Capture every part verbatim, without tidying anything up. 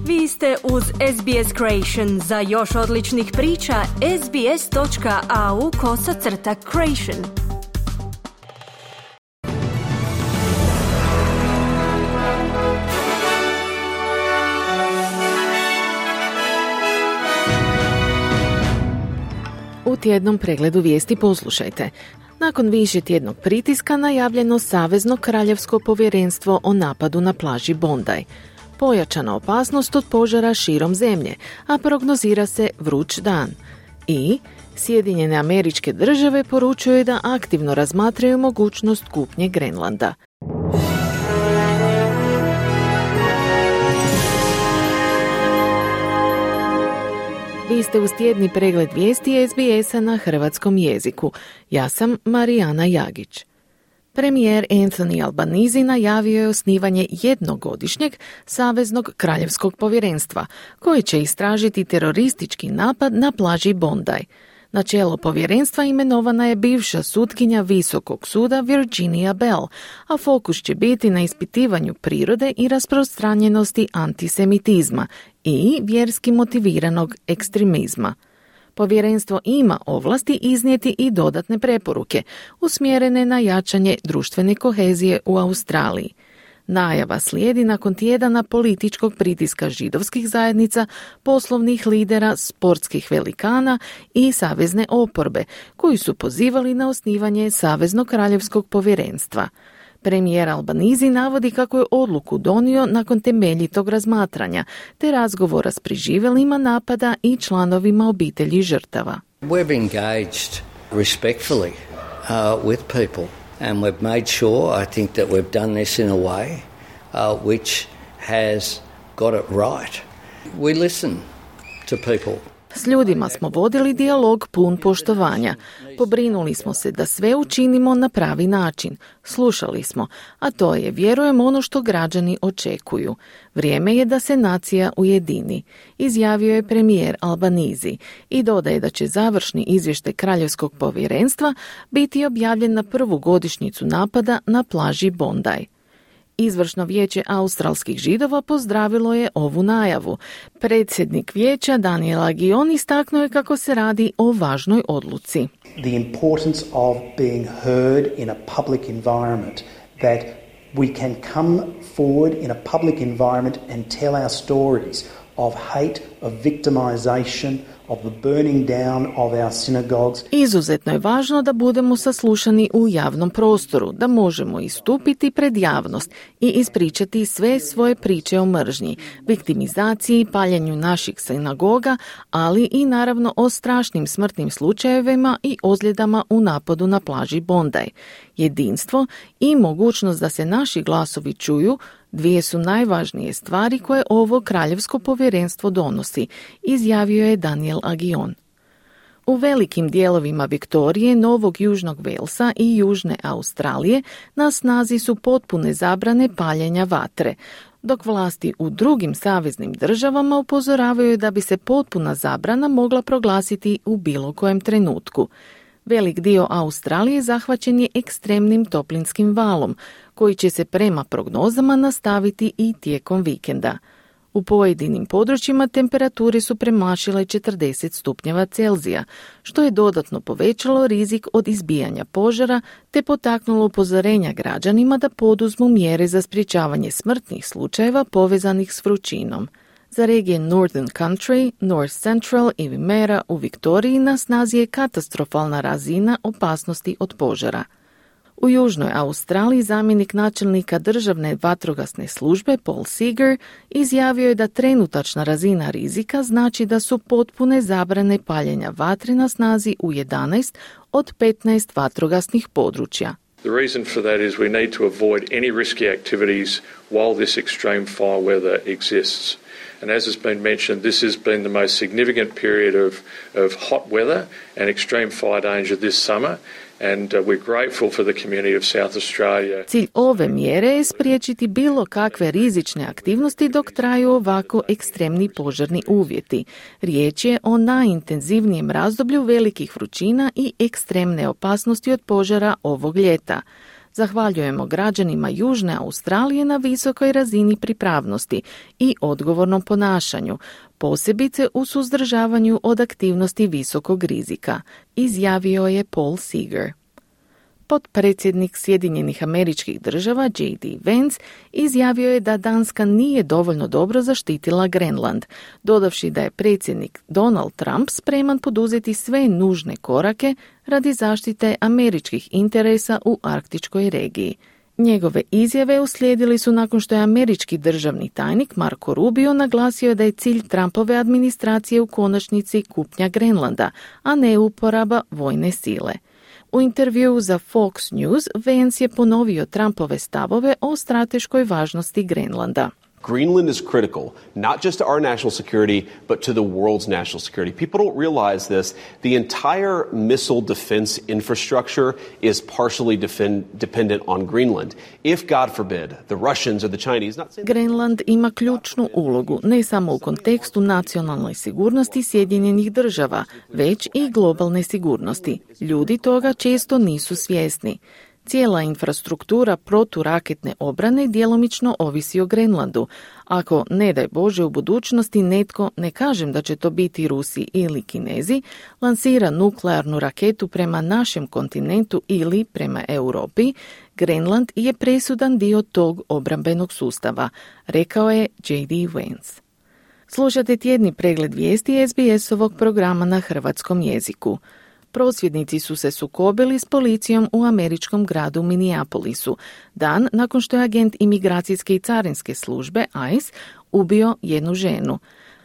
Vi ste uz S B S Creation. Za još odličnih priča, sbs.au kosacrta creation. U tjednom pregledu vijesti poslušajte. Nakon više tjednog pritiska najavljeno Savezno kraljevsko povjerenstvo o napadu na plaži Bondi. Pojačana opasnost od požara širom zemlje, a prognozira se vruć dan. I Sjedinjene Američke Države poručuju da aktivno razmatraju mogućnost kupnje Grenlanda. Vi ste uz tjedni pregled vijesti S B S-a na hrvatskom jeziku. Ja sam Marijana Jagić. Premijer Anthony Albanese najavio je osnivanje jednogodišnjeg Saveznog kraljevskog povjerenstva, koji će istražiti teroristički napad na plaži Bondi. Na čelo povjerenstva imenovana je bivša sutkinja Visokog suda Virginia Bell, a fokus će biti na ispitivanju prirode i rasprostranjenosti antisemitizma i vjerski motiviranog ekstremizma. Povjerenstvo ima ovlasti iznijeti i dodatne preporuke, usmjerene na jačanje društvene kohezije u Australiji. Najava slijedi nakon tjedana političkog pritiska židovskih zajednica, poslovnih lidera, sportskih velikana i savezne oporbe, koji su pozivali na osnivanje Saveznog kraljevskog povjerenstva. Premijer Albanese navodi kako je odluku donio nakon temeljitog razmatranja, te razgovora s preživjelima napada i članovima obitelji žrtava. We've engaged respectfully uh, with people and we've made sure, I think, that we've done this in a way uh, which has got it right. We listen to people. S ljudima smo vodili dijalog pun poštovanja. Pobrinuli smo se da sve učinimo na pravi način. Slušali smo, a to je, vjerujem, ono što građani očekuju. Vrijeme je da se nacija ujedini, izjavio je premijer Albanese i dodaje da će završni izvještaj Kraljevskog povjerenstva biti objavljen na prvu godišnjicu napada na plaži Bondi. Izvršno vijeće australskih židova pozdravilo je ovu najavu. Predsjednik vijeća Daniel Agion istaknuo je kako se radi o važnoj odluci. The importance of being heard in a public environment, that we can come forward in a public environment and tell our stories of hate, of victimization, of the burning down of our synagogues. Izuzetno je važno da budemo saslušani u javnom prostoru, da možemo istupiti pred javnost i ispričati sve svoje priče o mržnji, viktimizaciji, paljenju naših sinagoga, ali i naravno o strašnim smrtnim slučajevima i ozljedama u napadu na plaži Bondi. Jedinstvo i mogućnost da se naši glasovi čuju dvije su najvažnije stvari koje ovo kraljevsko povjerenstvo donosi, izjavio je Daniel Agion. U velikim dijelovima Viktorije, Novog Južnog Velsa i Južne Australije na snazi su potpune zabrane paljenja vatre, dok vlasti u drugim saveznim državama upozoravaju da bi se potpuna zabrana mogla proglasiti u bilo kojem trenutku. Velik dio Australije zahvaćen je ekstremnim toplinskim valom, koji će se prema prognozama nastaviti i tijekom vikenda. U pojedinim područjima temperature su premašile četrdeset stupnjeva Celzija, što je dodatno povećalo rizik od izbijanja požara te potaknulo upozorenja građanima da poduzmu mjere za sprječavanje smrtnih slučajeva povezanih s vrućinom. Za regije Northern Country, North Central i Wimmera u Viktoriji na snazi je katastrofalna razina opasnosti od požara. U Južnoj Australiji zamjenik načelnika državne vatrogasne službe Paul Seeger izjavio je da trenutačna razina rizika znači da su potpune zabrane paljenja vatre na snazi u jedanaest od petnaest vatrogasnih područja. The reason for that is we need to avoid any risky activities while this extreme fire weather exists. And as has been mentioned, this has been the most significant period of, of hot weather and extreme fire danger this summer. And uh, we're grateful for the community of South Australia. Cilj ove mjere je spriječiti bilo kakve rizične aktivnosti dok traju ovako ekstremni požarni uvjeti. Riječ je o najintenzivnijem razdoblju velikih vrućina i ekstremne opasnosti od požara ovog ljeta. Zahvaljujemo građanima Južne Australije na visokoj razini pripravnosti i odgovornom ponašanju, posebice u suzdržavanju od aktivnosti visokog rizika, izjavio je Paul Seeger. Potpredsjednik Sjedinjenih Američkih Država J D Vance izjavio je da Danska nije dovoljno dobro zaštitila Grenland, dodavši da je predsjednik Donald Trump spreman poduzeti sve nužne korake radi zaštite američkih interesa u arktičkoj regiji. Njegove izjave uslijedili su nakon što je američki državni tajnik Marco Rubio naglasio da je cilj Trumpove administracije u konačnici kupnja Grenlanda, a ne uporaba vojne sile. U intervjuu za Fox News, Vance je ponovio Trumpove stavove o strateškoj važnosti Grenlanda. Greenland is critical, not just to our national security, but to the world's national security. People don't realize this. The entire missile defense infrastructure is partially defend, dependent on Greenland. If, God forbid, the Russians or the Chinese... Not saying... Grenland ima ključnu ulogu, ne samo u kontekstu nacionalnoj sigurnosti Sjedinjenih država, već i globalne sigurnosti. Ljudi toga često nisu svjesni. Cijela infrastruktura proturaketne obrane djelomično ovisi o Grenlandu. Ako, ne daj Bože, u budućnosti netko, ne kažem da će to biti Rusi ili Kinezi, lansira nuklearnu raketu prema našem kontinentu ili prema Europi, Grenland je presudan dio tog obrambenog sustava, rekao je J D Vance. Slušate tjedni pregled vijesti S B S-ovog programa na hrvatskom jeziku. Prosvjednici su se sukobili s policijom u američkom gradu Minneapolisu, dan nakon što je agent imigracijske i carinske službe I C E ubio jednu ženu.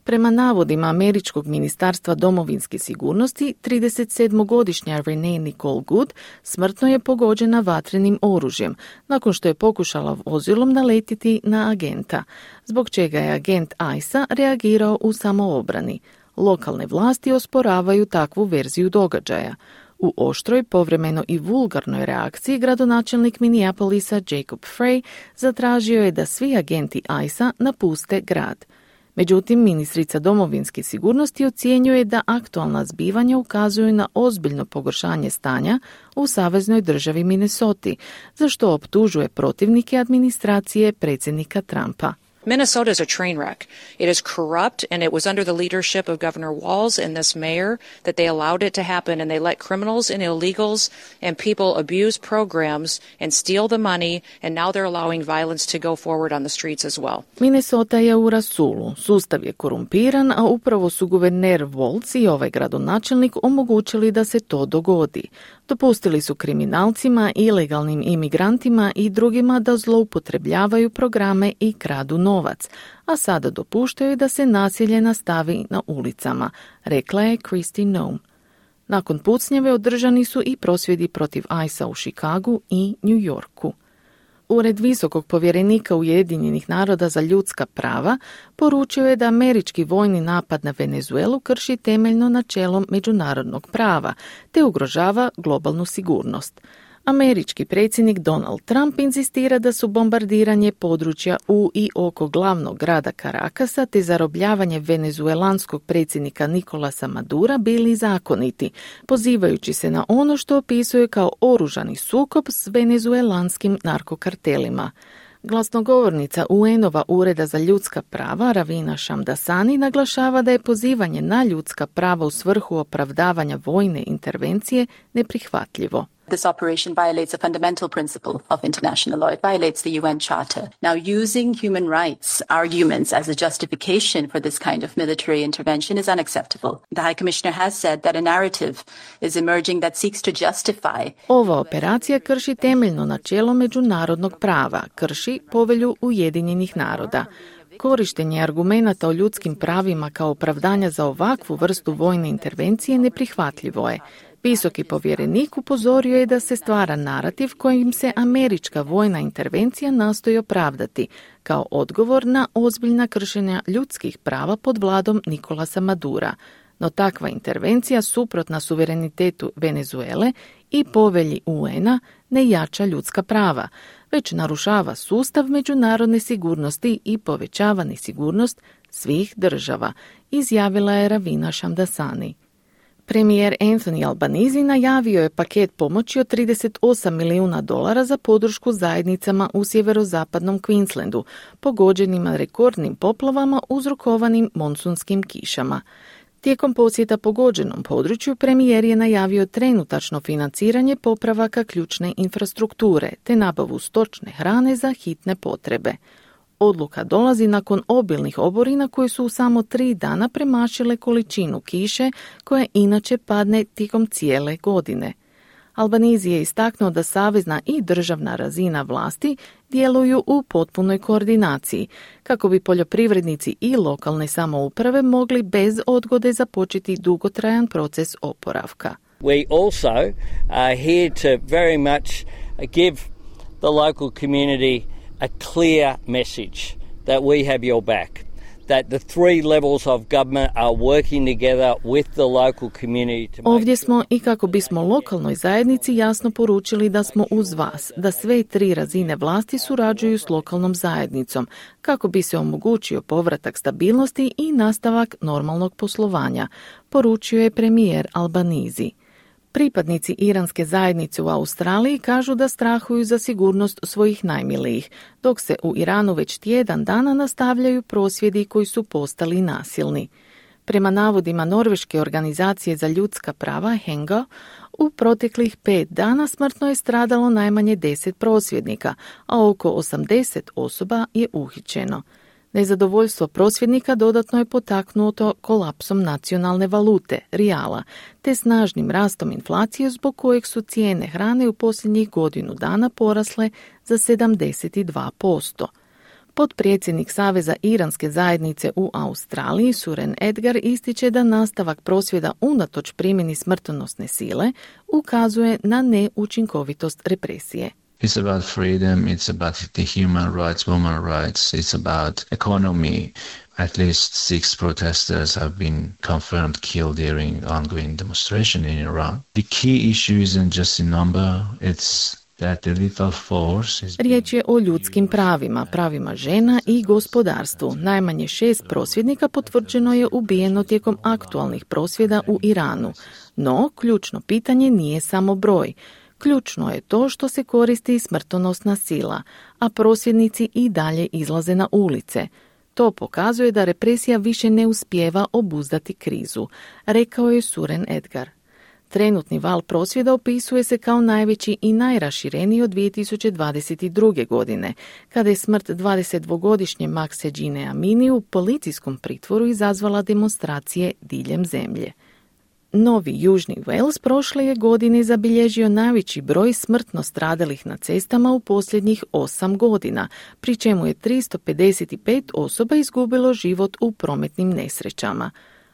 Prema navodima američkog ministarstva domovinske sigurnosti, tridesetsedmogodišnja Renee Nicole Good smrtno je pogođena vatrenim oružjem, nakon što je pokušala vozilom naletiti na agenta, zbog čega je agent I C E a reagirao u samoobrani. Lokalne vlasti osporavaju takvu verziju događaja. U oštroj, povremeno i vulgarnoj reakciji gradonačelnik Minneapolisa Jacob Frey zatražio je da svi agenti I C E a napuste grad. Međutim, ministrica domovinske sigurnosti ocjenjuje da aktualna zbivanja ukazuju na ozbiljno pogoršanje stanja u saveznoj državi Minnesoti, za što optužuje protivnike administracije predsjednika Trumpa. Minnesota is a train wreck. It is corrupt, and it was under the leadership of Governor Walz and this mayor that they allowed it to happen, and they let criminals and illegals and people abuse programs and steal the money, and now they're allowing violence to go forward on the streets as well. Minnesota je u rasulu. Sustav je korumpiran, a upravo su guverner Walz i ovaj gradonačelnik omogućili da se to dogodi. Dopustili su kriminalcima, ilegalnim imigrantima i drugima da zloupotrebljavaju programe i kradu novac, a sada dopuštaju da se nasilje nastavi na ulicama, rekla je Kristi Noem. Nakon pucnjeve održani su i prosvjedi protiv I C E a u Chicagu i New Yorku. Ured visokog povjerenika Ujedinjenih naroda za ljudska prava poručio je da američki vojni napad na Venezuelu krši temeljno načelo međunarodnog prava te ugrožava globalnu sigurnost. Američki predsjednik Donald Trump inzistira da su bombardiranje područja u i oko glavnog grada Carakasa te zarobljavanje venezuelanskog predsjednika Nicolasa Madura bili zakoniti, pozivajući se na ono što opisuje kao oružani sukob s venezuelanskim narkokartelima. Glasnogovornica U N-ova Ureda za ljudska prava Ravina Shamdasani naglašava da je pozivanje na ljudska prava u svrhu opravdavanja vojne intervencije neprihvatljivo. This operation violates a fundamental principle of international law. It violates the U N Charter. Now, using human rights arguments as a justification for this kind of military intervention is unacceptable. The High Commissioner has said that a narrative is emerging that seeks to justify. Ova operacija krši temeljno načelo međunarodnog prava, krši Povelju Ujedinjenih naroda. Korištenje argumenata o ljudskim pravima kao opravdanja za ovakvu vrstu vojne intervencije neprihvatljivo je. Visoki povjerenik upozorio je da se stvara narativ kojim se američka vojna intervencija nastoji opravdati kao odgovor na ozbiljna kršenja ljudskih prava pod vladom Nicolasa Madura. No takva intervencija suprotna suverenitetu Venezuele i povelji U N-a ne jača ljudska prava, već narušava sustav međunarodne sigurnosti i povećava nesigurnost svih država, izjavila je Ravina Shamdasani. Premijer Anthony Albanese najavio je paket pomoći od trideset osam milijuna dolara za podršku zajednicama u sjeverozapadnom Queenslandu, pogođenima rekordnim poplavama uzrokovanim monsunskim kišama. Tijekom posjeta pogođenom području premijer je najavio trenutačno financiranje popravaka ključne infrastrukture te nabavu stočne hrane za hitne potrebe. Odluka dolazi nakon obilnih oborina koje su u samo tri dana premašile količinu kiše koja inače padne tijekom cijele godine. Albanese je istaknuo da savezna i državna razina vlasti djeluju u potpunoj koordinaciji kako bi poljoprivrednici i lokalne samouprave mogli bez odgode započeti dugotrajan proces oporavka. We also are here to very much give the local community a clear message that we have your back, that the three levels of government are working together with the local community to make Ovdje smo i kako bismo lokalnoj zajednici jasno poručili da smo uz vas, da sve tri razine vlasti surađuju s lokalnom zajednicom kako bi se omogućio povratak stabilnosti i nastavak normalnog poslovanja, poručio je premijer Albanese. Pripadnici iranske zajednice u Australiji kažu da strahuju za sigurnost svojih najmilijih, dok se u Iranu već tjedan dana nastavljaju prosvjedi koji su postali nasilni. Prema navodima Norveške organizacije za ljudska prava Henga, u proteklih pet dana smrtno je stradalo najmanje deset prosvjednika, a oko osamdeset osoba je uhićeno. Nezadovoljstvo prosvjednika dodatno je potaknuto kolapsom nacionalne valute, rijala, te snažnim rastom inflacije zbog kojeg su cijene hrane u posljednjih godinu dana porasle za sedamdeset dva posto. Potpredsjednik Saveza iranske zajednice u Australiji, Suren Edgar, ističe da nastavak prosvjeda unatoč primjeni smrtonosne sile ukazuje na neučinkovitost represije. It's about freedom, it's about the human rights, women rights, it's about economy. At least six protesters have been confirmed killed during ongoing demonstration in Iran. The key issue isn't just a number, it's that the lethal force is... Riječ je o ljudskim pravima, pravima žena i gospodarstvu. Najmanje šest prosvjednika potvrđeno je ubijeno tijekom aktualnih prosvjeda u Iranu. No, ključno pitanje nije samo broj. Ključno je to što se koristi smrtonosna sila, a prosvjednici i dalje izlaze na ulice. To pokazuje da represija više ne uspijeva obuzdati krizu, rekao je Suren Edgar. Trenutni val prosvjeda opisuje se kao najveći i najrašireniji od dvije tisuće dvadeset druge. godine, kada je smrt dvadesetdvogodišnje Makse Džine Amini u policijskom pritvoru izazvala demonstracije diljem zemlje. Novi Južni Wales prošle je godine zabilježio najveći broj smrtno stradalih na cestama u posljednjih osam godina, pri čemu je tristo pedeset pet osoba izgubilo život u prometnim nesrećama.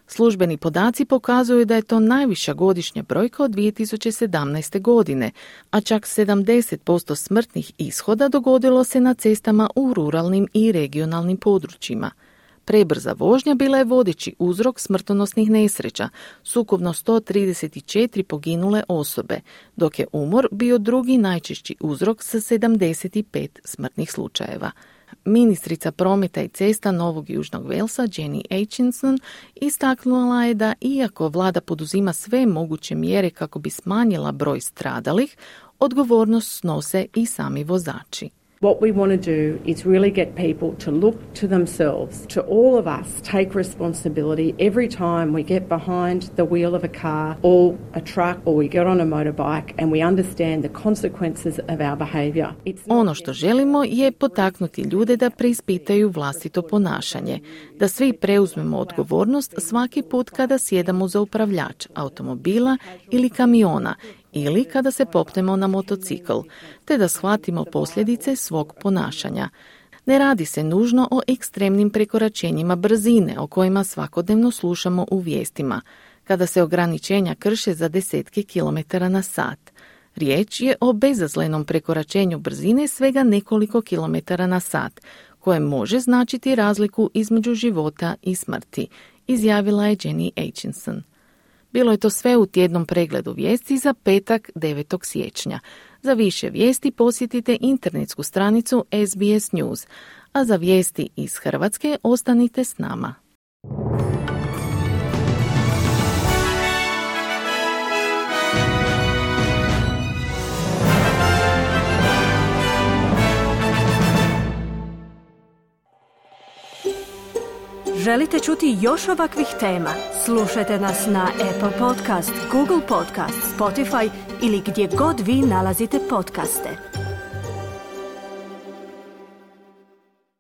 Službeni podaci pokazuju da je to najviša godišnja brojka od dvije tisuće sedamnaeste. godine, a čak sedamdeset posto smrtnih ishoda dogodilo se na cestama u ruralnim i regionalnim područjima. Prebrza vožnja bila je vodeći uzrok smrtonosnih nesreća, s ukupno sto trideset četiri poginule osobe, dok je umor bio drugi najčešći uzrok sa sedamdeset pet smrtnih slučajeva. Ministrica prometa i cesta Novog Južnog Walesa, Jenny Aitchison, istaknula je da iako vlada poduzima sve moguće mjere kako bi smanjila broj stradalih, odgovornost snose i sami vozači. What we want to do is really get people to look to themselves, to all of us take responsibility every time we get behind the wheel of a car or a truck or we get on a motorbike and we understand the consequences of our behavior. Ono što želimo je potaknuti ljude da preispitaju vlastito ponašanje, da svi preuzmemo odgovornost svaki put kada sjedamo za upravljač automobila ili kamiona ili kada se popnemo na motocikl, te da shvatimo posljedice svog ponašanja. Ne radi se nužno o ekstremnim prekoračenjima brzine o kojima svakodnevno slušamo u vijestima, kada se ograničenja krše za desetke kilometara na sat. Riječ je o bezazlenom prekoračenju brzine svega nekoliko kilometara na sat, koje može značiti razliku između života i smrti, izjavila je Jenny Aitchison. Bilo je to sve u tjednom pregledu vijesti za petak devetog siječnja. Za više vijesti posjetite internetsku stranicu S B S News, a za vijesti iz Hrvatske ostanite s nama. Želite čuti još ovakvih tema? Slušajte nas na Apple Podcast, Google Podcast, Spotify ili gdje god vi nalazite podcaste.